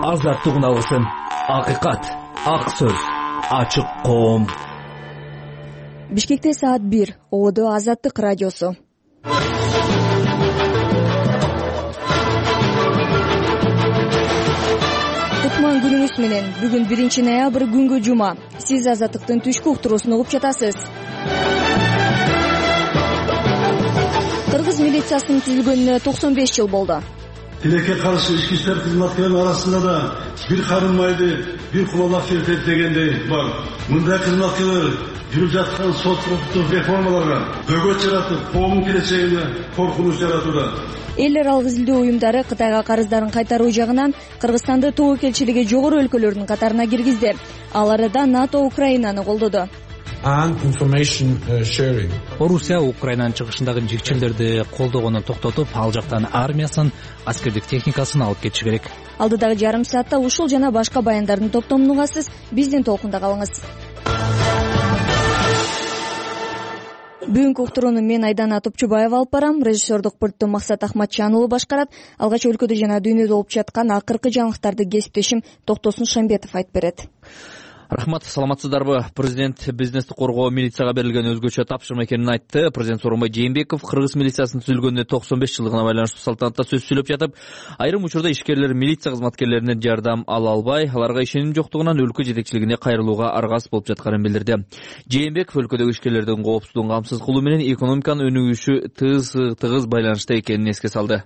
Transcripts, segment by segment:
азаттык үналысын. Акыйкат, ак сөз, ачык коом. Бишкекте саат 1. Ободо Азаттык радиосу. Кутман күнүңүз менен. Бүгүн 1 ноябрь күнгө жума. Сиз Азаттыктын түшкү уктуруусун угуп жатасыз. Кыргыз милициясынын түзүлгөнүнө 95 жыл болду. Тилекке каршы ички иштер кызматкерлеринин арасында да бир карын майды, бир кумалак чертет дегендей бар. Мындай кызматкерлер жүрүп жаткан сот укуктук реформаларга бөгөт жаратып, коомдун келечегине коркунуч жаратууда. Эл аралык изилдөө уюмдары Кытайга карыздарын кайтаруу жагынан Кыргызстанды тобокелчилиги жогору өлкөлөрдүн катарына киргизди. Ал арада НАТО Украинаны колдоду. Орусия Украинанын чыгышындагы жигчелерди колдогонун токтотуп, ал жактан армиясын, аскердик техникасын алып кетиши керек. Алдыдагы жарым саатта ушул жана башка баяндардын топтомун угасыз. Биздин толкунда калыңыз. Бүгүнкү уктурууну мен Айдана Топчубаева алып барам. Режиссердук пультту Максат Ахматжанұлы башкарат. Алгач өлкөдө жана дүйнөдө болуп жаткан акыркы жаңылыктарды кесиптешим Токтосун Шамбетов айтып берет. Рахмат, саламатсыздарбы? Президент бизнести коргоо милицияга берилген өзгөчө тапшырма экенин айтты. Президент Сооронбай Жээнбеков Кыргыз милициясынын түзүлгөнүнө 95 жылдыгына байланыштуу салтанатта сөз сүйлөп жатып, айрым учурда ишкерлер милиция кызматкерлеринен жардам ала албай, аларга ишеним жоктугунан өлкө жетекчилигине кайрылууга аргасыз болуп жатканын билдирди. Жээнбеков өлкөдөгү ишкерлердин коопсуздугун камсыз кылуу менен экономиканын өнүгүшү тыгыз байланышта экенин эске салды.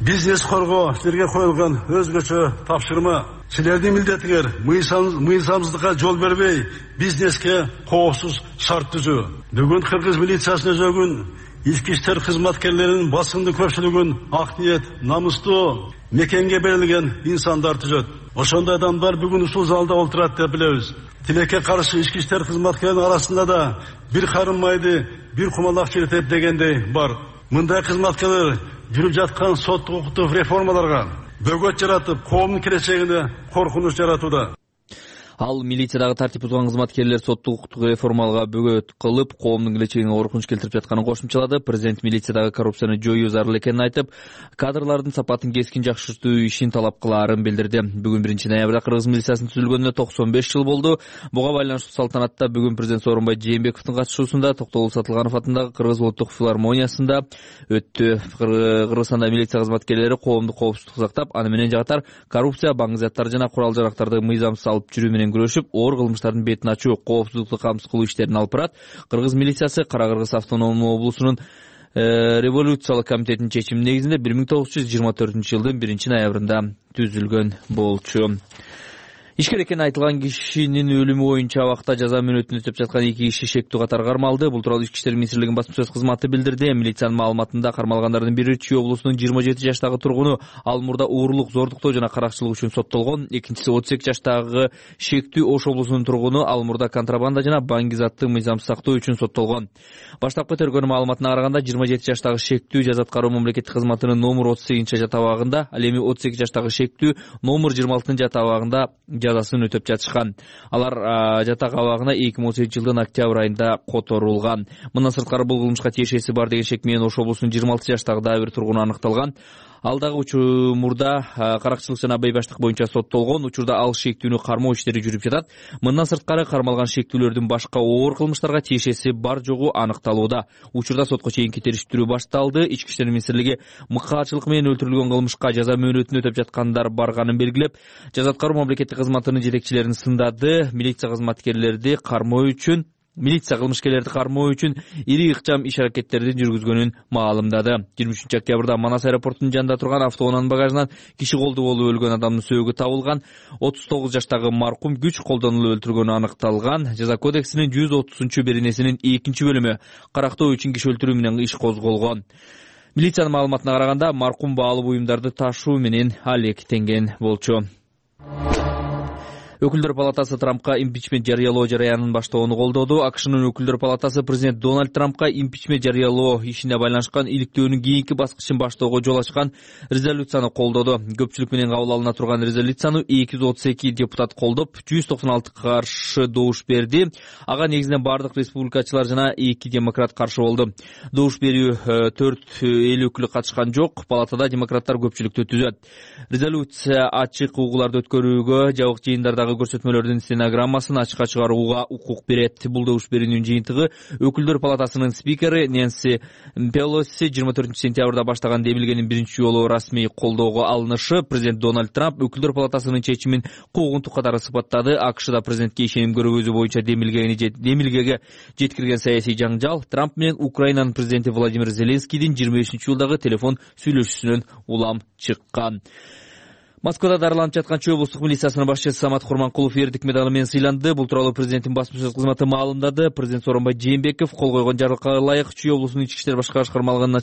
Бизнес коргоо силерге коюлган өзгөчө тапшырма. Силердин милдетиңер мыйзамсыздыкка жол бербей, бизнеске коопсуз шарт түзүү. Бүгүн Кыргыз милициясынын өзөгүн ички иштер кызматкерлеринин басымдуу көпчүлүгүн ак ниет, намыстуу мекенге берилген инсандар түзөт. Ошондой адамдар бүгүн ушул залда отурат деп билебиз. Тилекке каршы ички иштер кызматкерлеринин арасында да бир карын майды, бир кумалак чертет дегендей бар. Мындай кызматкерлер жүрүп жаткан сот укуктук реформаларга бөгөт жаратып, коомдун келечегине коркунуч жаратууда. Ал милициядагы тартип бузган кызматкерлер соттук укуктук реформалга бөгөт кылып, коомдун келечегине коркунуч келтирип жатканын кошумчалады. Президент милициядагы коррупцияны жоюу зарыл экенин айтып, кадрлардын сапатын кескин жакшыртуу ишин талап кылаарын билдирди. Бүгүн 1 ноябрда Кыргыз милициясынын түзүлгөнүнө 95 жыл болду. Буга байланыштуу салтанатта бүгүн президент Сооронбай Жээнбековдун катышуусунда Токтогул Сатылганов атындагы Кыргыз улуттук филармониясында өттү. Кыргызстанда милиция кызматкерлери коомдук коопсуздукту сактап, аны менен жагатар коррупция, баңгы заттар жана курал-жарактарды мыйзамсыз алып жүрүү менен күрөшүп, оор кылмыштардын бетин ачуу, коопсуздукту камсыз кылуу иштерин алып барат. Кыргыз милициясы Кара-Кыргыз автономдуу облусунун революциялык комитетинин чечими негизинде 1924-жылдын 1 ноябрында түзүлгөн болчу. Ишкер экени айтылган кишинин өлүмү боюнча абакта жаза мөөнөтүн өтөп жаткан 2 киши шектүү катары кармалды. Бул тууралуу Ички иштер министрлигинин басма сөз кызматы билдирди. Милициянын маалыматында кармалгандардын бири Чүй облусунун 27 жаштагы тургуну, ал мурда уурулук, зордуктоо жана каракчылык үчүн соттолгон. Экинчиси 32 жаштагы шектүү Ош облусунун тургуну, ал мурда контрабанда жана баңги затты мыйзамсыз сактоо үчүн соттолгон. Баштапкы тергөө маалыматына караганда 27 жаштагы шектүү жаза аткаруу мамлекеттик кызматынын номер 38 жат абагында, ал эми 32 жаштагы шектүү номер 26 жат абагында жазасын өтөп жатышкан. Алар жатак абагына 2018 жылдын октябрь айында которулган. Мындан сырткары бул кылмышка тиешеси бар деген шек менен Ош облусунун 26 жаштагы дагы бир тургуну аныкталган. Ал дагы учурда каракчылык жана бейбаштык боюнча соттолгон. Учурда ал шектүүнү кармоо иштери жүрүп жатат. Мындан сырткары кармалган шектүүлөрдүн башка оор кылмыштарга тиешеси бар жогу аныкталууда. Учурда сотко чейинки териштирүү башталды. Ички иштер министрлиги мыкаачылык менен өлтүрүлгөн кылмышка жаза мөөнөтүн өтөп жаткандар барганын белгилеп, жаза аткаруу мамлекеттик кызматынын жетекчилерин сындады. Милиция кылмышкерлерди кармоо үчүн ири ыкчам иш-аракеттерди жүргүзгөнүн маалымдады. 23 октябрда Манас аэропортунун жанында турган автоунаанын багажынан киши колду болуп өлгөн адамдын сөөгү табылган. 39 жаштагы маркум күч колдонулуп өлтүргөнү аныкталган. Жаза кодексинин 130-беренесинин 2-бөлүмү карактоо үчүн киши өлтүрүү менен иш козголгон. Милициянын маалыматына караганда маркум баалуу буюмдарды ташуу менен алектенген болчу. Өкүлдөр палатасы Трампка импичмент жарыялоо жараянын баштоону колдоду. АКШнын Өкүлдөр палатасы президент Дональд Трампка импичмент жарыялоо ишине байланышкан иликтөөнүн кийинки баскычын баштоого жол ачкан резолюцияны колдоду. Көпчүлүк менен кабыл алына турган резолюцияны 232 депутат колдоп, 196 каршы добуш берди. Ага негизинен бардык республикачылар жана 2 демократ каршы болду. Добуш берүү 4 эл өкүлү катышкан жок. Палатада демократтар көпчүлүктү түзөт. Резолюция ачык угууларды өткөрүүгө, жабык жыйындардагы көрсөтмөлөрдүн стенограммасын ачыкка чыгарууга укук берет. Бул добуш берүүнүн жыйынтыгы Өкүлдөр палатасынын спикери Нэнси Пелоси 24 сентябрда баштаган демилгенин биринчи жолу расмий колдоого алынышы. Президент Дональд Трамп Өкүлдөр палатасынын чечимин куугунтук катары сыпаттады. АКШда президентке ишеним көргөзүү боюнча демилгеге жеткирген саясий жаңжал Трамп менен Украинанын президенти Владимир Зеленскийдин 25-жылдагы телефон сүйлөшүүсүнөн улам чыккан. Москвада дарыланып жаткан Чүй облустук милициясынын башчысы Самат Курманкулов эрдик медалы менен сыйланды. Бул тууралуу президенттин басма сөз кызматы маалымдады. Президент Сооронбай Жээнбеков кол койгон жарлыкка ылайык Чүй облусунун ички иштер башкармалыгынын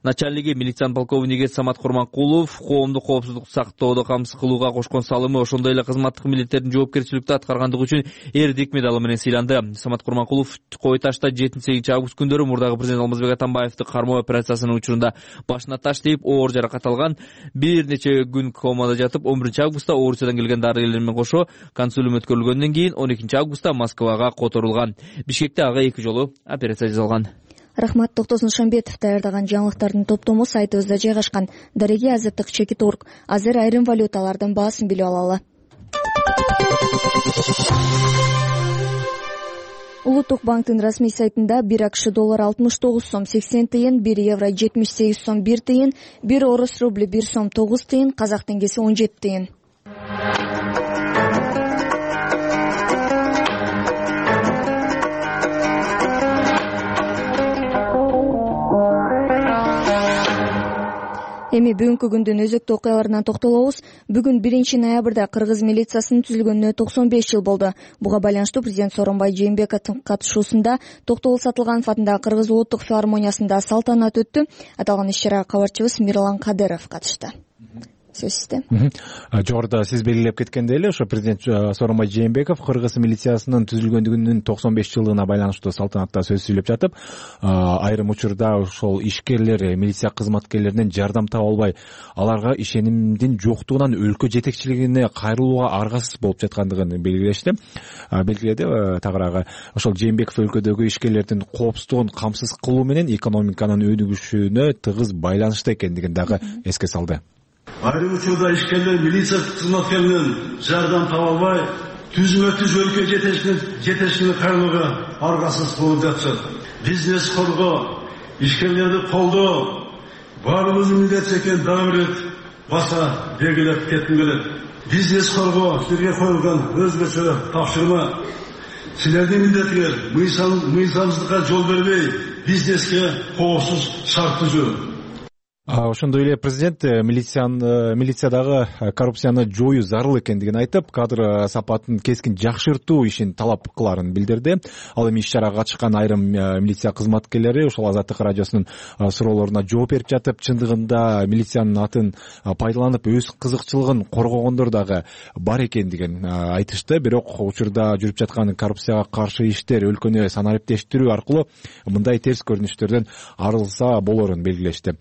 начальниги милициянын полковниги Самат Курманкулов коомдук коопсуздукту сактоодо камсыз кылууга кошкон салымы, ошондой эле кызматтык милдеттерин жоопкерчиликтүү аткаргандыгы үчүн эрдик медалы менен сыйланды. Самат Курманкулов Кой Ташта 7-8 август күндөрү мурдагы президент Алмазбек Атамбаевди кармоо операциясынын учурунда башына таш тийип оор жаракат алган. Бир нече күн комада жатып, 11 августта Орусиядан келген дарыгерлер менен кошо консулиум өткөрүлгөндөн кийин 12 августта Москвага которулган. Бишкекте ага 2 жолу операция жасалган. Рахмат. Токтосун Шамбетов даярдаган жаңылыктардын топтому сайтыбызда жайгашкан. Дареги азаттык чекит.орг. Азыр айрым валюталардын баасын билип алалы. Улуттук банктын расмий сайтында 1 АКШ доллары 69 сом 80 тыйын, 1 евро 78 сом 1 тыйын, 1 орус рубли 1 сом 9 тыйын, казак теңгеси 17 тыйын. Эми бүгүнкү күндүн өзөктүү окуяларына токтолобуз. Бүгүн 1 ноябрда кыргыз милициясынын түзүлгөнүнө 95 жыл болду. Буга байланыштуу президент Сооронбай Жээнбековдун катышуусунда Токтогул Сатылганов атындагы Кыргыз улуттук филармониясында салтанат өттү. Аталган иш-чарага кабарчыбыз Мирлан Кадыров катышты. Сөз сизде. Жогоруда сиз белгилеп кеткендей эле, ошо президент Сооронбай Жээнбеков Кыргыз милициясынын түзүлгөндүгүнүн 95 жылдыгына байланыштуу салтанатта сөз сүйлөп жатып, айрым учурда ошол ишкерлер, милиция кызматкерлеринен жардам таба албай, аларга ишенимдин жоктугунан өлкө жетекчилигине кайрылууга аргасыз болуп жаткандыгын белгиледи. Тагыраагы ошол Жээнбеков өлкөдөгү ишкерлердин коопсуздугун камсыз кылуу менен экономиканын өнүгүшүнө тыгыз байланыштуу экендигин дагы эске салды. Айрым учурда ишкерлер милиция кызматкеринен жардам таба албай, түзмө-түз өлкө жетекчилигине кайрылууга аргасыз болуп жатышат. Бизнес коргоо, ишкерлерди колдоо баарыбыздын милдет экенин дагы бир баса белгилеп кетким келет. Бизнес коргоо силерге коюлган өзгөчө тапшырма. Силердин милдетиңер мыйзамсыздыкка жол бербей, бизнеске коопсуз шарт түзүү. Ошондой эле президент милициядагы коррупцияны жоюу зарыл экендигин айтып, кадр сапатын кескин жакшыртуу ишин талап кыларын билдирди. Ал эми иш-чарага катышкан айрым милиция кызматкерлери ошол Азаттык радиосунун суроолоруна жооп берип жатып, чындыгында милициянын атын пайдаланып өз кызыкчылыгын коргогондор дагы бар экендигин айтышты. Бирок учурда жүрүп жаткан коррупцияга каршы иштер өлкөнү санариптештирүү аркылуу мындай терс көрүнүштөрдөн арылса болорун белгилешти.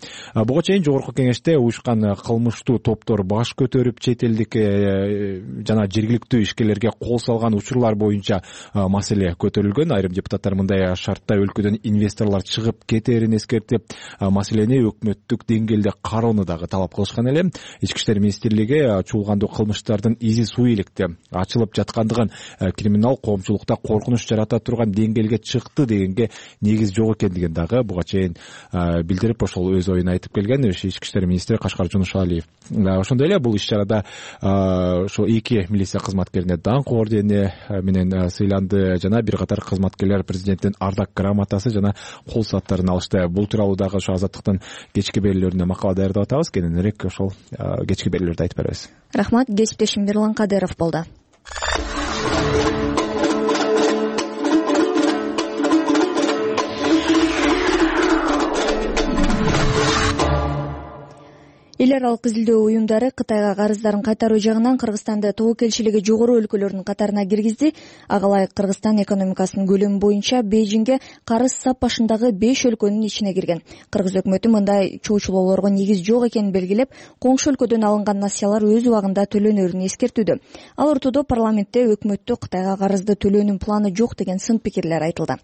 Буга чейин жогорку кеңеште уюшкан кылмыштуу топтор баш көтөрүп, чет элдик жана жергиликтүү ишкерлерге кол салган учурлар боюнча маселе көтөрүлгөн. Айрым депутаттар мындай шартта өлкөдөн инвесторлор чыгып кетерин эскертип, маселени өкмөттүк деңгээлде кароону дагы талап кылышкан эле. Ички иштер министрлиги чуулгандуу кылмыштардын изи суу ийгиликте ачылып жаткандыгын, криминал коомчулукта коркунуч жарата турган деңгээлге чыкты дегенге негиз жок экендигин дагы буга чейин билдирип, ошол өз оюн айтып келген ички иштер министри Кашкар Жунушалиев. Ошондой эле бул иш-чарада ошо 2 милиция кызматкерине даңк ордени менен сыйланды жана бир катар кызматкерлер президенттин ардак грамотасы жана кол сааттарын алышты. Бул тууралуу дагы ошо Азаттыктын кечки берүүлөрүнө макала даярдап атабыз. Кененирээк ошол кечки берүүлөрдү айтып беребиз. Рахмат. Кесиптешим Мирлан Кадыров болду. Эл аралык изилдөө уюмдары Кытайга карыздарын кайтаруу жагынан Кыргызстанды тобокелчилиги жогору өлкөлөрдүн катарына киргизди. Ага ылайык Кыргызстан экономикасынын көлөмү боюнча Бейжиңге карыз сап башындагы 5 өлкөнүн ичине кирген. Кыргыз өкмөтү мындай чоочулоолорго негиз жок экенин белгилеп, коңшу өлкөдөн алынган насыялар өз убагында төлөнөрүн эскертүүдө. Ал ортодо парламентте өкмөттү Кытайга карызды төлөөнүн планы жок деген сын пикирлер айтылды.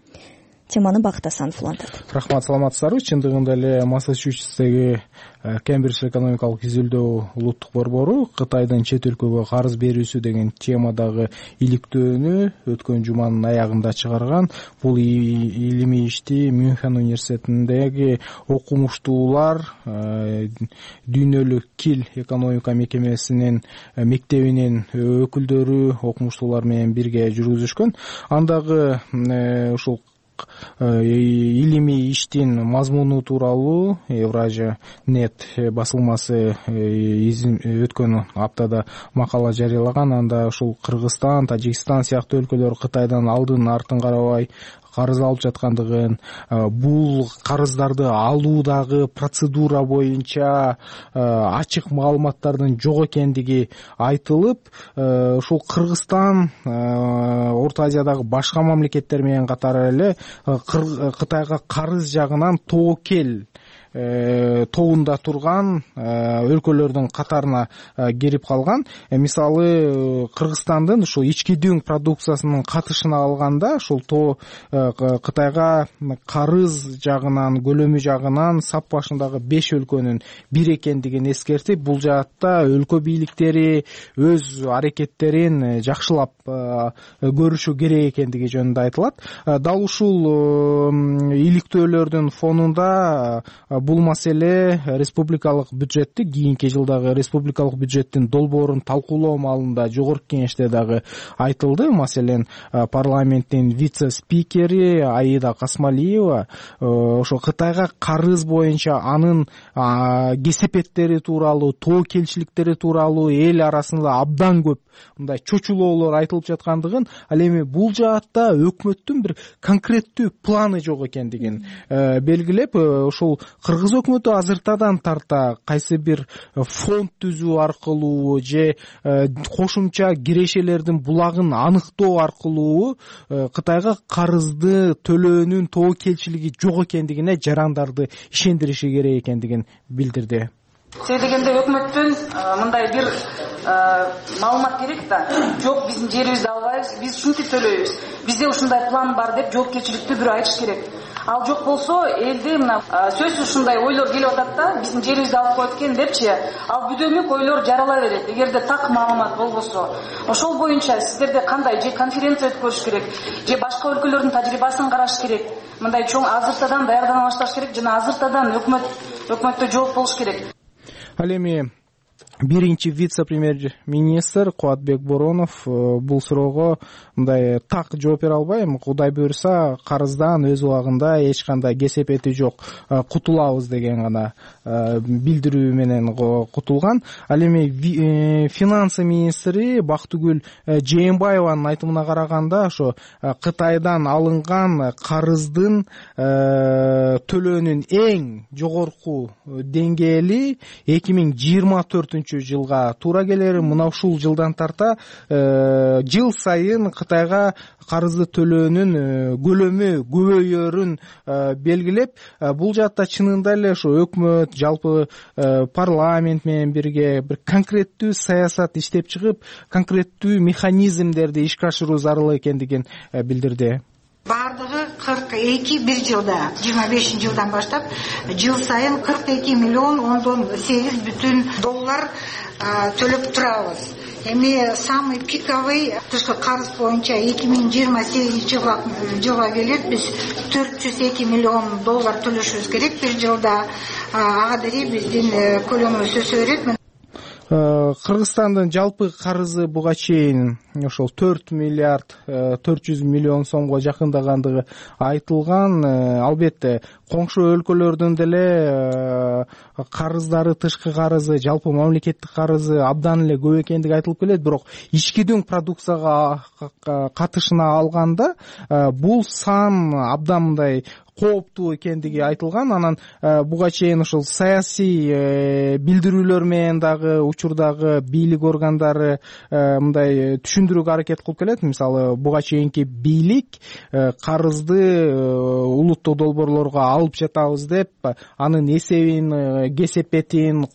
Теманы Бакыт Асанов улантат. Рахмат, саламатсыздарбы? Чындыгында эле Массачусетстеги Кембридж экономикалык изилдөө улуттук борбору Кытайдын чет өлкөгө карыз берүүсү деген темадагы иликтөөнү өткөн жуманын аягында чыгарган. Бул илимий ишти Мюнхен университетиндеги окумуштуулар дүйнөлүк Кил экономика мекемесинин мектебинин өкүлдөрү окумуштуулар менен бирге жүргүзүшкөн. Андагы ушул илимий иштин мазмуну тууралуу Евразия нет басылмасы өткөн аптада макала жарыялаган. Анда ушул Кыргызстан, Тажикстан сыяктуу өлкөлөр Кытайдан алдын артын карабай карыз алып жаткандыгын, бул карыздарды алуудагы процедура боюнча ачык маалыматтардын жок экендиги айтылып, ушул Кыргызстан Орто Азиядагы башка мамлекеттер менен катар эле Кытайга карыз жагынан тобокел тобунда турган өлкөлөрдүн катарына кирип калган. Мисалы Кыргызстандын ушул ички дүң продукциясынын катышына алганда ушул Кытайга карыз жагынан, көлөмү жагынан сап башындагы 5 өлкөнүн бир экендигин эскертип, бул жаатта өлкө бийликтери өз аракеттерин жакшылап көрүшү керек экендиги жөнүндө айтылат. Дал ушул иликтөөлөрдүн фонунда бул маселе республикалык бюджетти, кийинки жылдагы республикалык бюджеттин долбоорун талкуулоо маалында жогорку кеңеште дагы айтылды. Маселен, парламенттин вице-спикери Аида Касмалиева ошо Кытайга карыз боюнча анын кесепеттери тууралуу, тобокелчиликтери тууралуу эл арасында абдан көп мындай чочулоолор айтылып жаткандыгын, ал эми бул жаатта өкмөттүн бир конкреттүү планы жок экендигин белгилеп, ошол Кыргыз өкмөтү азыртадан тарта кайсы бир фонд түзүү аркылуу же кошумча кирешелердин булагын аныктоо аркылуу Кытайга карызды төлөөнүн тобокелчилиги жок экендигине жарандарды ишендириши керек экендигин билдирди. Себеби дегенде өкмөттөн мындай бир маалымат керек да. Жок, биздин жерибизди албайбыз, биз ушинтип төлөйбүз. Бизде ушундай план бар деп жоопкерчиликтүү бирөө айтыш керек. Ал жок болсо, элде мына сөзсүз ушундай ойлор келип атат да, биздин жерибизди алып коет экен депчи, ал бүдөмүк ойлор жарала берет. Эгерде так маалымат болбосо, ошол боюнча сиздерде кандай же конференция өткөрүш керек, же башка өлкөлөрдүн тажрыйбасын караш керек. Мындай чоң азыртадан даярдана башташ керек жана азыртадан өкмөттө жооп болуш керек. Ал эми биринчи вице-премьер-министр Кубатбек Боронов бул суроого мындай так жооп бере албай, Кудай буйрса карыздан өз убагында эч кандай кесепети жок, кутулабыз деген гана билдирүү менен кутулган. Ал эми финансы министри Бактыгүл Жээнбаеванын айтымына караганда, ошо Кытайдан алынган карыздын төлөөнүн эң жогорку деңгээли 2024 жылга туура келер. Мына ушул жылдан тарта жыл сайын Кытайга карызды төлөөнүн көлөмү көбөйөрүн белгилеп, бул жаатта чынында эле ошо өкмөт, жалпы парламент менен бирге бир конкреттүү саясат иштеп чыгып, конкреттүү механизмдерди ишке ашыруу зарыл экендигин билдирди. Бардыгы 42 бир жылда, 25-жылдан баштап жыл сайын 42 миллион $10.8 төлөп турабыз. Эми самый пиковый тышкы карыз боюнча 2028 жылга келип биз $402 миллион төлөшүбүз керек бир жылда. Ага деги биздин көлөмүбүз өсө берет. Кыргызстандын жалпы карызы буга чейин ошол 4 миллиард 400 миллион сомго жакындагандыгы айтылган. Албетте коңшу өлкөлөрдүн деле карыздары, тышкы карызы, жалпы мамлекеттик карызы абдан эле көп экендиги айтылып келет. Бирок ички дүң продукцияга катышына алганда бул сан абдан мындай кооптуу экендиги айтылган. Анан буга чейин ушул саясий билдирүүлөр менен дагы учурдагы бийлик органдары мындай түшүндүрүүгө аракет кылып келет. Мисалы буга чейинки бийлик карызды улуттук долбоорлорго алып жатабыз деп анын эсебин, кесепетин,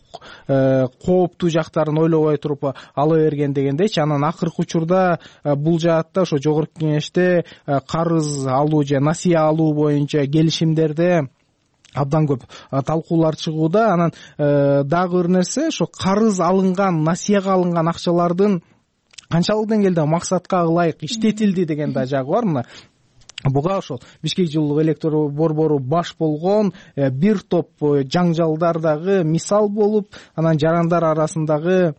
кооптуу жактарын ойлобой туруп ала берген дегендейчи. Анан акыркы учурда бул жаатта ошо жогорку кеңеште карыз алуу же насыя алуу боюнча келишимдерде абдан көп талкуулар чыгууда. Анан дагы бир нерсе, ошо карыз алынган, насыяга алынган акчалардын канчалык деңгээлде максатка ылайык иштетилди деген да жагы бар. Мына буга ошол Бишкек жылуулук электр борбору баш болгон бир топ жаңжалдар дагы мисал болуп, анан жарандар арасындагы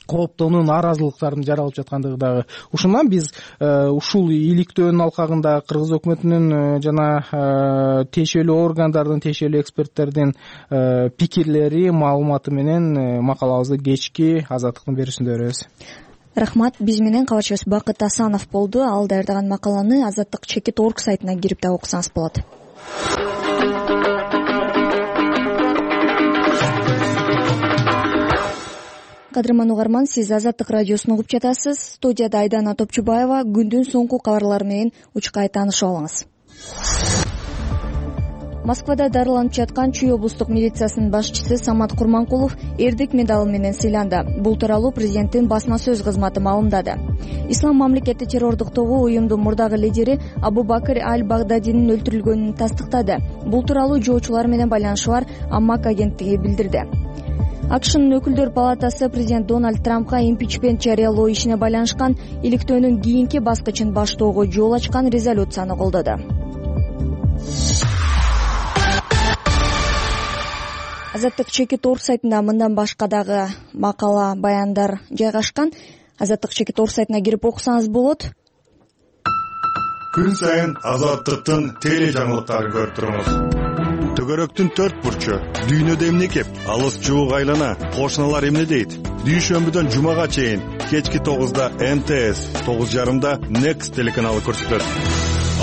кооптоо, нааразылыктардын жаралып жаткандыгы дагы. Ушундан биз ушул иликтөөнүн алкагында кыргыз өкмөтүнүн жана тиешелүү органдардын, тиешелүү эксперттердин пикирлери, маалыматы менен макалабызды кечки Азаттыктын берүүсүндө беребиз. Рахмат. Биз менен кабарчыбыз Бакыт Асанов болду. Ал даярдаган макаланы Азаттык Чекит.org сайтына кирип да окусаңыз болот. Кадырман угарман, сиз Азаттык радиосун угуп жатасыз. Студияда Айдана Топчубаева. Күндүн соңку кабарлары менен учкай таанышып алыңыз. Москвада дарыланып жаткан Чүй облустук милициясынын башчысы Самат Курманкулов эрдик медалы менен сыйланды. Бул тууралуу президенттин басма сөз кызматы маалымдады. Ислам мамлекети террордук тобу уюмдун мурдагы лидери Абу-Бакр аль-Багдадинин өлтүрүлгөнүн тастыктады. Бул тууралуу жоочулар менен байланышы бар Аммак агенттиги билдирди. АКШнын өкүлдөр палатасы президент Дональд Трампка импичмент жарыялоо ишине байланышкан иликтөөнүн кийинки баскычын баштоого жол ачкан резолюцияны колдоду. Азаттык Чекит.org сайтында мындан башка дагы макала, баяндар жайгашкан. Азаттык Чекит.org сайтына кирип окусаңыз болот. Күн сайын Азаттыктын теле жаңылыктарын көрүп туруңуз. Төгөрөктүн 4 бурчу, дүйнөдө эмне кеп, алыс жуук айлана, кошуналар эмне дейт? Дүйшөмбүдөн жумага чейин кечки 9да МТС, 9:30да Next телеканалы көрсөтөт.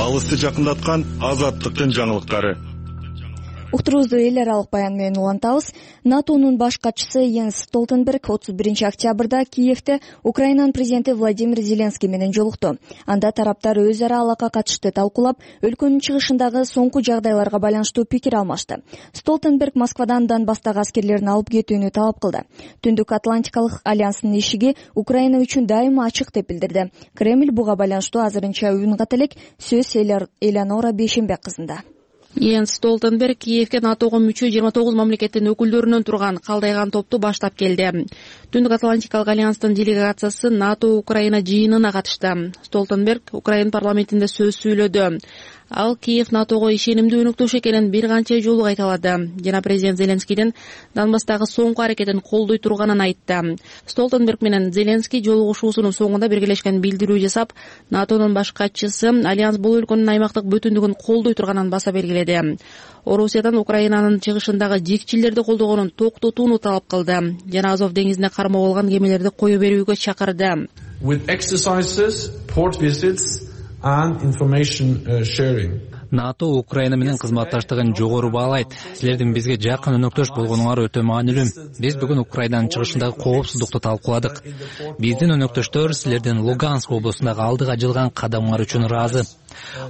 Алысты жакындаткан Азаттыктын жаңылыктары. Уктуруубузду эл аралык баян менен улантабыз. НАТОнун баш катчысы Йенс Столтенберг 31-октябрда Киевде Украинанын президенти Владимир Зеленский менен жолукту. Анда тараптар өз ара алакка катышты талкуулап, өлкөнүн чыгышындагы соңку жагдайларга байланыштуу пикир алмашты. Столтенберг Москвадан Донбасстагы аскерлерин алып кетүүнү талап кылды. Түндүк Атлантикалык альянстын эшиги Украина үчүн дайыма ачык деп билдирди. Кремль буга байланыштуу азырынча үн ката элек. Сөз Элеонора Бейшембек кызында. Йенс Столтенберг Киевге НАТОго мүчө 29 мамлекеттин өкүлдөрүнөн турган калдайган топту баштап келди. Түндүк Атлантикалык альянстын делегациясы НАТО Украина жыйынына катышты. Столтенберг Украина парламентинде сөз сүйлөдү. Ал Киев НАТОго ишенимдүү өнөктөш экенин бир канча жолу кайталады. Жана президент Зеленскийдин Донбасстагы соңку аракетин колдой турганын айтты. Столтенберг менен Зеленский жолугушуусунун соңунда биргелешкен билдирүү жасап, НАТОнун баш катчысы альянс бул өлкөнүн аймактык бүтүндүгүн колдой турганын баса белгиледи. Орусиядан Украинанын чыгышындагы жикчилерди колдогонун токтотууну талап кылды. Жана Азов деңизине кармоо алган кемелерди кое берүүгө чакырды. With exercises, port visits and information sharing. НАТО Украина менен кызматташтыгын жогору баалайт. Силердин бизге жакын өнөктөш болгонуңар өтө маанилүү. Биз бүгүн Украинанын чыгышындагы коопсуздукту талкууладык. Биздин өнөктөштөр силердин Луганск облусундагы алдыга жылган кадамыңар үчүн ыраазы.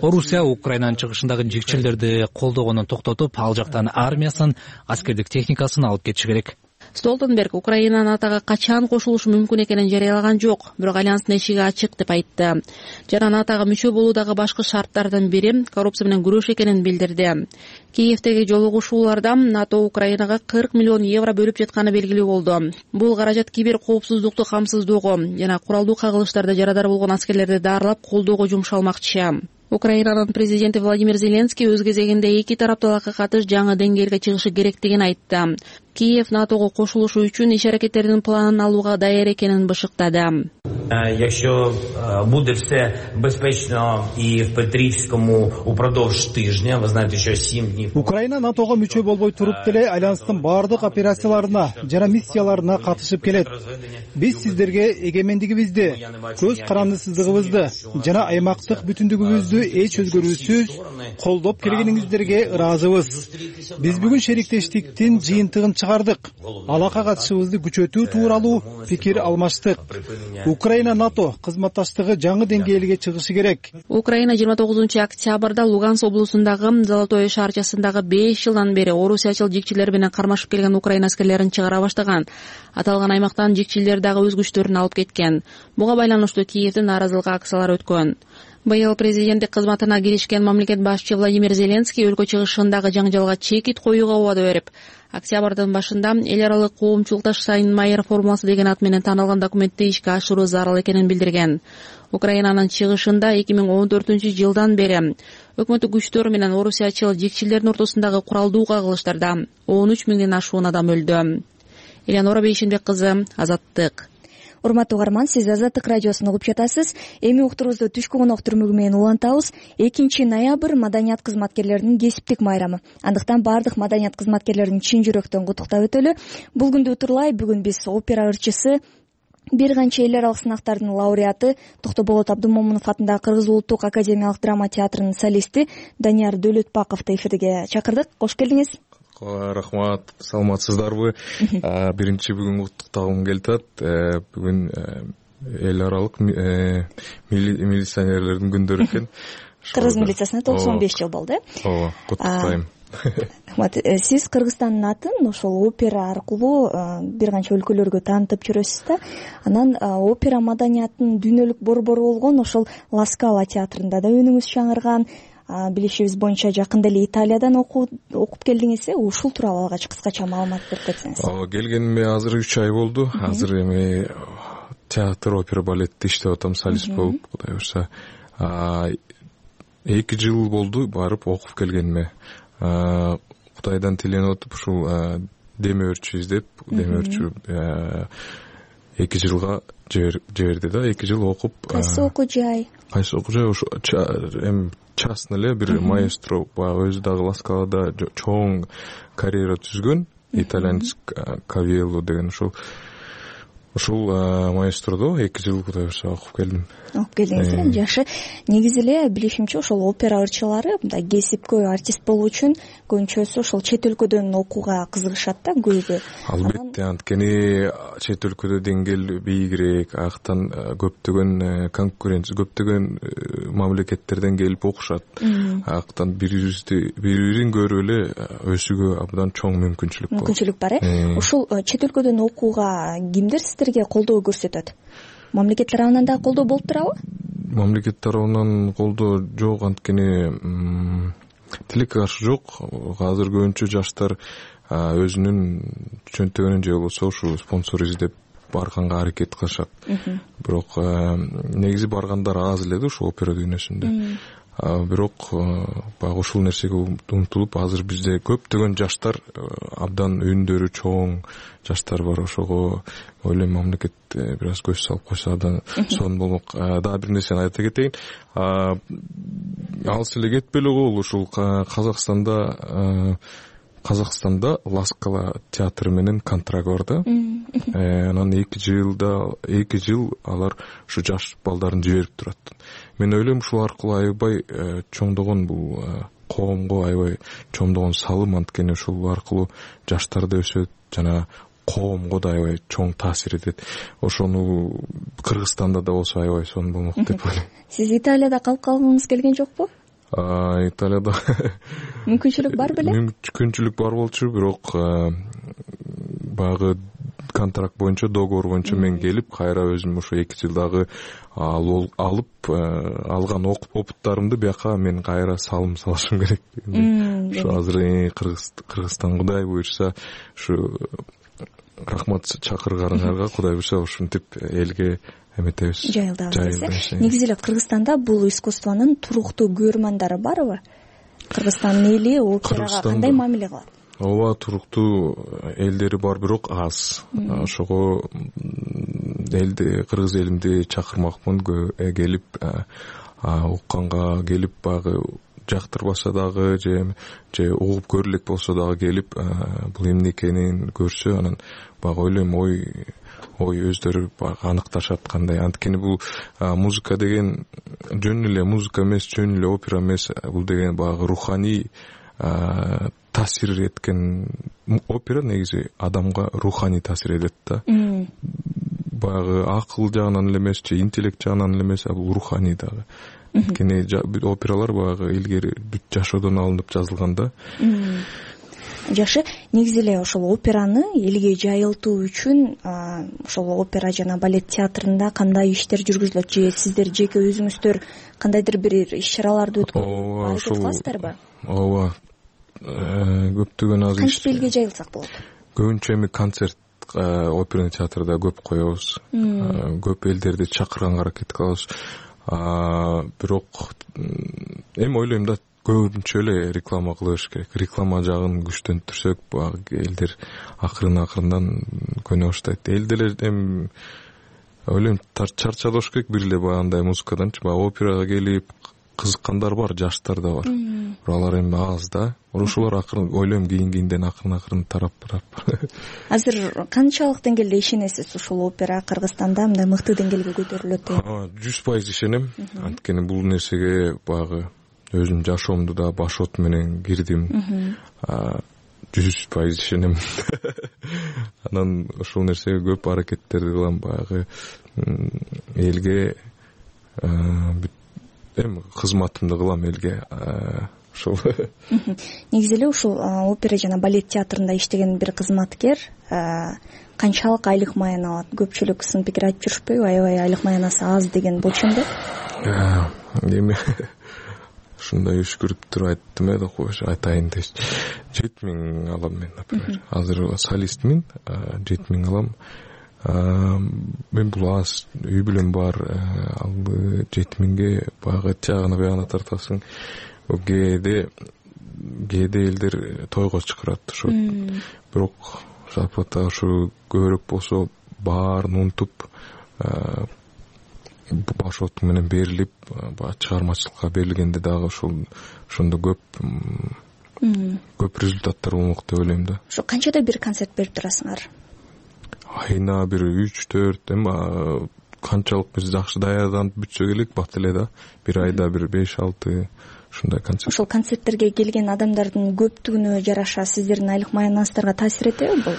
Орусия Украинанын чыгышындагы жикчилерди колдогонун токтотуп, ал жактан армиясын, аскердик техникасын алып кетиши керек. Столтенберг Украина НАТОго качан кошулушу мүмкүн экенин жарыялаган жок, бирок альянстын эшиги ачык деп айтты. Жана НАТОго мүчө болуудагы башкы шарттардын бири коррупция менен күрөш экенин билдирди. Киевдеги жолугушууларда НАТО Украинага 40 миллион евро бөлүп жатканы белгилүү болду. Бул каражат кибер коопсуздукту камсыздоого жана куралдуу кагылыштарда жарадар болгон аскерлерди дарылап колдоого жумшалмакчы. Украинанын президенти Владимир Зеленский өз кезегинде эки тараптуулукка катыш жаңы деңгээлге чыгышы керектигин айтты. Киев НАТОго кошулушу үчүн иш аракеттеринин планын алууга даяр экенин бышыктады. Якщо буде все безпечно і в Петрівському упродовж тижня, ви знаєте, що 7 днів. Украина НАТОго мүчө болбой туруп деле альянстын баардык операцияларына жана миссияларына катышып келет. Биз сиздерге эгемендигибизди, көз карандысыздыгыбызды жана аймактык бүтүндүгүбүздү эч өзгөрүүсүз колдоп келгениңиздерге ыраазыбыз. Биз бүгүн шериктештиктин жыйынтыгын чыгардык. Алака катышыбызды күчөтүү тууралуу пикир алмаштык. Украина НАТО кызматташтыгы жаңы деңгээлге чыгышы керек. Украина 29 октябрда Луганск облусундагы Золотое шаарчасындагы 5 жылдан бери орусиячыл жикчилер менен кармашып келген Украина аскерлерин чыгара баштаган. Аталган аймактан жикчилер дагы өз күчтөрүн алып кеткен. Буга байланыштуу Киевде нааразылык акциялары өткөн. Быйыл президенттик кызматына киришкен мамлекет башчы Владимир Зеленский өлкө чыгышындагы жаңжалга чекит коюуга убада берип, октябрдын башында эл аралык коомчулукташ Сайын-Майер формуласы деген ат менен таанылган документти ишке ашыруу зарыл экенин билдирген. Украинанын чыгышында 2014-жылдан бери өкмөттүк күчтөр менен орусиячыл жикчилердин ортосундагы куралдуу кагылыштарда 13 миңден ашуун адам өлдү. Элеонора Бейшенбек кызы, Азаттык. Урматтуу угарман, сиз Азаттык радиосун угуп жатасыз. Эми уктуруубузду түшкү конок түрмөгү менен улантабыз. 2 ноябрь маданият кызматкерлеринин кесиптик майрамы. Андыктан баардык маданият кызматкерлерин чын жүрөктөн куттуктап өтөлү. Бул күндү утурлай бүгүн биз опера ырчысы, бир канча эл аралык сынактардын лауреаты, Токтоболот Абдымомунов атындагы Кыргыз улуттук академиялык драма театрынын солисти Данияр Дөөлөтбаковду эфирге чакырдык. Кош келдиңиз. Рахмат, саламатсыздарбы? Биринчи бүгүн куттуктагым келип атат. Бүгүн эл аралык милиционерлердин күндөрү экен. Кыргыз милициясына 95 жыл болду, э? Ооба, куттуктайм. Сиз Кыргызстандын атын ошол опера аркылуу бир канча өлкөлөргө таанытып жүрөсүз да. Анан опера маданиятынын дүйнөлүк борбору болгон ошол Ла Скала театрында да үнүңүз чаңырган. Билишибиз боюнча жакында эле Италиядан окуп келдиңиз. Ушул тууралуу алгач кыскача маалымат берип кетсеңиз. Келгениме азыр 3 ай болду. Азыр эми театр, опера, балетте иштеп атам, солист болуп, Кудай буйрса. 2 жыл болду барып окуп келгениме. Кудайдан тиленип атып ушул демөөрчү издеп, демөөрчү 2 жылга жиберди да. 2 жыл окуп. Кайсы окуу жай? Ушу эми частный эле бир маэстро, өзү дагы Ла Скалада чоң карьера түзгөн, итальянец Кавиелло деген ушул маэстродо 2 жыл Кудай буйрса окуп келдим. Окуп келдиңиз, жакшы. Негизи эле билишимче ошол опера ырчылары мындай кесипкөй артист болуу үчүн көбүнчөсү ошол чет өлкөдөн окууга кызыгышат да, көбү. Албетте, анткени чет өлкөдө деңгээл бийигирээк, аяктан көптөгөн конкуренция, көптөгөн мамлекеттерден келип окушат. Аяктан бири-бирин көрүп эле өсүүгө абдан чоң мүмкүнчүлүк бар, э? Ушул чет өлкөдөн окууга кимдер сиздерге колдоо көрсөтөт? Мамлекет тарабынан да колдоо болуп турабы? Мамлекет тарабынан колдоо жок, анткени тилекке каршы жок. Азыр көбүнчө жаштар өзүнүн чөнтөгүнөн же болбосо ушу спонсор издеп барганга аракет кылышат. Бирок негизи баргандар аз эле да ушу опера дүйнөсүндө. Бирок баягы ушул нерсеге умтулуп, азыр бизде көптөгөн жаштар, абдан үндөрү чоң жаштар бар. Ошого ойлойм мамлекет бир аз көз салып койсо абдан сонун болмок. Дагы бир нерсени айта кетейин. Алыс эле кетпей эле коелу, ушул Казакстанда Ла Скала театры менен контракт бар да. Анан 2 жыл алар ушу жаш балдарын жиберип турат. Мен ойлойм ушул аркылуу аябай чоңдогон бул коомго аябай чоңдогон салым, анткени ушул аркылуу жаштар да өсөт, жана коомго да аябай чоң таасир этет. Ошону Кыргызстанда да болсо аябай сонун болмок деп ойлойм. Сиз Италияда калып калгыңыз келген жокпу? Италияда мүмкүнчүлүк бар беле? Мүмкүнчүлүк бар болчу, бирок баягы контракт боюнча, договор боюнча мен келип, кайра өзүм ошо 2 жылдагы алып алган опыттарымды бияка мен кайра салым салышым керек. Ушу азыр Кыргызстан Кудай буйрса, ушу рахмат чакырганыңарга, Кудай буйрса ушинтип элге эметебиз. Жайылдабыз. Негизи эле Кыргызстанда бул искусствонун туруктуу көрөрмандары барбы? Кыргызстандын эли операга кандай мамиле кылат? ооба, туруктуу элдери бар, бирок аз. Ошого элди, кыргыз элимди чакырмакмын, келип укканга келип, баягы жактырбаса дагы же угуп көрө элек болсо дагы келип бул эмне экенин көрсө, анан баягы ойлойм ой өздөрү баягы аныкташат кандай. Анткени бул музыка деген жөн эле музыка эмес, жөн эле опера эмес, бул деген баягы руханий таасир эткен. Опера негизи адамга руханий таасир этет да. Баягы акыл жагынан эле эмес, же интеллект жагынан эле эмес, бул руханий дагы. Анткени опералар баягы илгери бүт жашоодон алынып жазылган да. Жакшы, негизи эле ошол операны элге жайылтуу үчүн ошол опера жана балет театрында кандай иштер жүргүзүлөт, же сиздер жеке өзүңүздөр кандайдыр бир иш-чараларды өткөзүп ооба, көптөгөн азыр кантип элге жайылсак болот? Көбүнчө эми концерт оперный театрда көп коебуз. Көп элдерди чакырганга аракет кылабыз. Бирок эми ойлойм да, көбүнчө эле реклама кылыш керек. Реклама жагын күчтөндүрсөк, баягы элдер акырындан көнө баштайт. Элдер эми ойлойм чарчады болуш керек бир эле баягындай музыкаданчы. Баягы операга келип кызыккандар бар, жаштар да бар. Бирок алар эми аз да. Ошолор акырын ойлойм кийинден акырын тарап барат. Азыр канчалык деңгээлде ишенесиз ушул опера Кыргызстанда мындай мыкты деңгээлге көтөрүлөт деп? 100% ишенем. Анткени бул нерсеге баягы өзүм жашоомду да башот менен кирдим. 100% ишенем. Анан ушул нерсеге көп аракеттерди кылам, баягы элге эми кызматымды кылам элге. Ушул. Негизи эле ушул опера жана балет театрында иштеген бир кызматкер канчалык айлык маян алат? Көпчүлүк сын пикир айтып жүрүшпөйбү? Аябай айлык маянасы аз деген болчумду. Эми ушундай үшкүрүп туруп айттым да, кош айтайын деши. 7000 алам мен, например. Азыр солистмин, 7000 алам. Мен бул аз, үй бүлөм бар, ал 7000ге баягы жагына тартасың. Кээде элдер тойго чакырат ошо. Бирок зарплата ушу көбүрөөк болсо баарын унутуп, башот менен берилип, чыгармачылыкка берилгенде дагы ошондо көп результаттар болмок деп ойлойм да. Ошо канчада бир концерт берип турасыңар? Айына бир 3-4, эми канчалык биз жакшы даярданып бүтсө керек бат эле да. Бир айда бир 5-6 ушундай концерт. Ошол концерттерге келген адамдардын көптүгүнө жараша сиздердин айлык маянаңыздарга таасир этеби бул?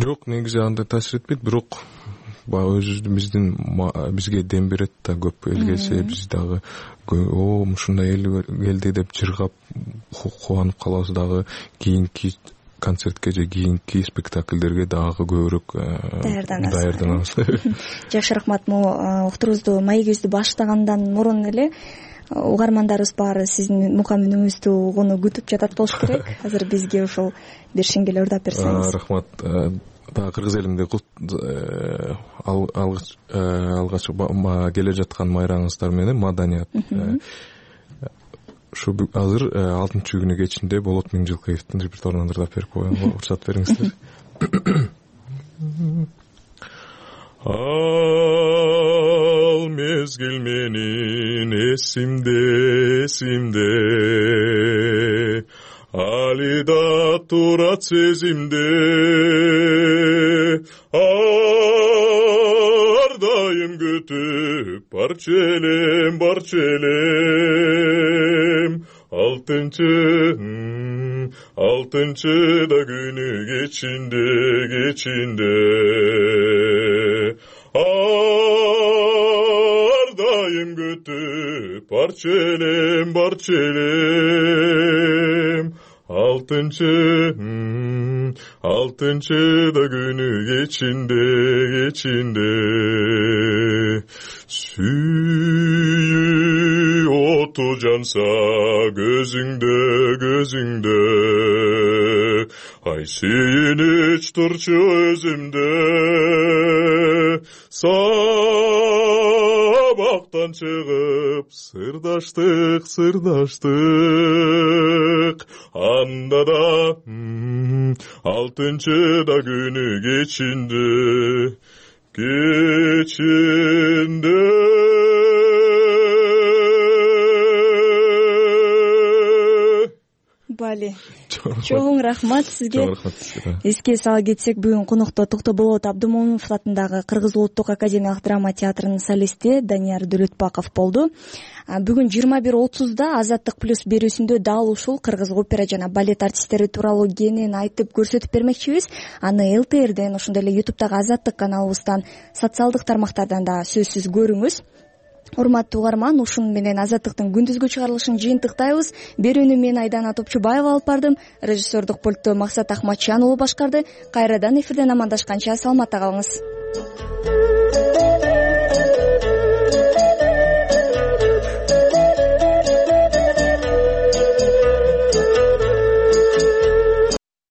Жок, негизи андай таасир этпейт, бирок бизге дем берет да, көп эл келсе биз дагы ушундай эл келди деп жыргап кубанып калабыз дагы. Кийинки концертке же кийинки спектакльдерге дагы көбүрөөк даярданабыз. Жакшы, рахмат. Могу уктурубузду, маегибизди баштагандан мурун эле угармандарыбыз баары сиздин мукам үнүңүздү угууну күтүп жатат болуш керек. Азыр бизге ушул бир шеңгел ордап берсеңиз. Рахмат. Дагы кыргыз элимде алгач келе жаткан майраңыздар менен маданият. Ушу азыр 6-күнү кечинде Болот Миңжилкеевдин репертуарынан ырдап берип коюнга уруксат бериңиздер. Ал мезгил менин эсимде али да турат сезимде, ар дайым күтүп барчу элем алтынчы да күнү кечинде ар дайым күтүп барчу элем алтынчы да күнү кечинде сүйүү оту жанса көзүңдө ай сүйүнүч турчу өзүмдө саба токтон чыгып сырдаштык анда да 6-да күнү кечинде бали чоң рахмат сизге. Эске сала кетсек, бүгүн конокто Токтоболот Абдымомунов атындагы Кыргыз Улуттук академиялык драма театрынын солисти Данияр Дөлөтбаков болду. Бүгүн 21:30да Азаттык плюс берүүсүндө дал ушул кыргыз опера жана балет артисттери тууралуу кенен айтып көрсөтүп бермекчибиз. Аны ЛТРден, ошондой эле YouTube'дагы Азаттык каналыбыздан, социалдык тармактардан да сөзсүз көрүңүз. Урматтуу угарман, ушун менен Азаттыктын күндүзгү чыгарылышын жыйынтыктайбыз. Берүүнү мен Айдана Топчубаева алып бардым. Режиссердук пультту Максат Ахматчан уулу башкарды. Кайрадан эфирден амандашканча саламатта калыңыз.